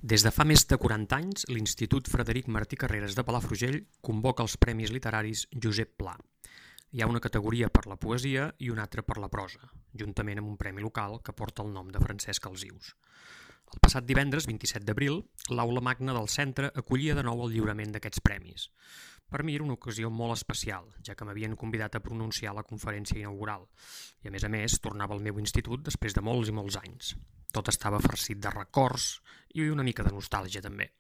Des de fa més de 40 anys, l'Institut Frederic Martí Carreras de Palafrugell convoca els Premis Literaris Josep Pla. Hi ha una categoria per la poesia i una altra per la prosa, juntament amb un premi local que porta el nom de Francesc Alsius. El passat divendres, 27 d'abril, l'Aula Magna del centre acollia de nou el lliurament d'aquests premis. Per mi era una ocasió molt especial, ja que m'havien convidat a pronunciar la conferència inaugural, i a més, tornava al meu institut després de molts i molts anys. Tot estava farcit de records i una mica de nostàlgia també.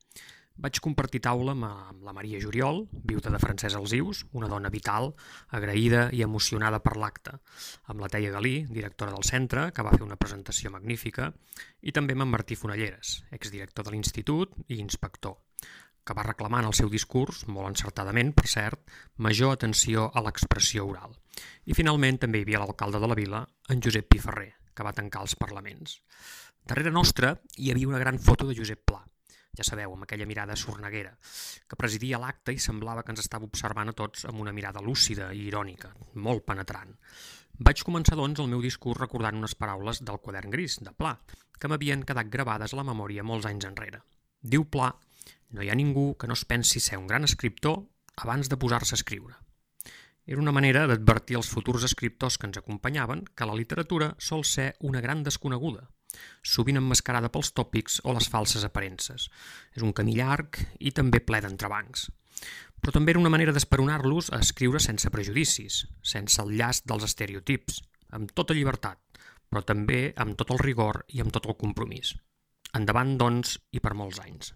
Vaig compartir taula amb la Maria Juriol, viuda de Francesc Alsius, una dona vital, agraïda i emocionada per l'acte, amb la Teia Galí, directora del centre, que va fer una presentació magnífica, i també amb en Martí Fonalleres, exdirector de l'institut i inspector, que va reclamar en el seu discurs, molt encertadament, per cert, major atenció a l'expressió oral. I finalment també hi havia l'alcalde de la vila, en Josep Piferrer, que va tancar els parlaments. Darrere nostra hi havia una gran foto de Josep Pla, ja sabeu, amb aquella mirada sorneguera, que presidia l'acte i semblava que ens estava observant a tots amb una mirada lúcida i irònica, molt penetrant. Vaig començar, doncs, el meu discurs recordant unes paraules del Quadern Gris, de Pla, que m'havien quedat gravades a la memòria molts anys enrere. Diu Pla: no hi ha ningú que no es pensi ser un gran escriptor abans de posar-se a escriure. Era una manera d'advertir als futurs escriptors que ens acompanyaven que la literatura sol ser una gran desconeguda, sovint emmascarada pels tòpics o les falses aparences. És un camí llarg i també ple d'entrebancs. Però també era una manera d'esperonar-los a escriure sense prejudicis, sense el llast dels estereotips, amb tota llibertat, però també amb tot el rigor i amb tot el compromís. Endavant, doncs, i per molts anys.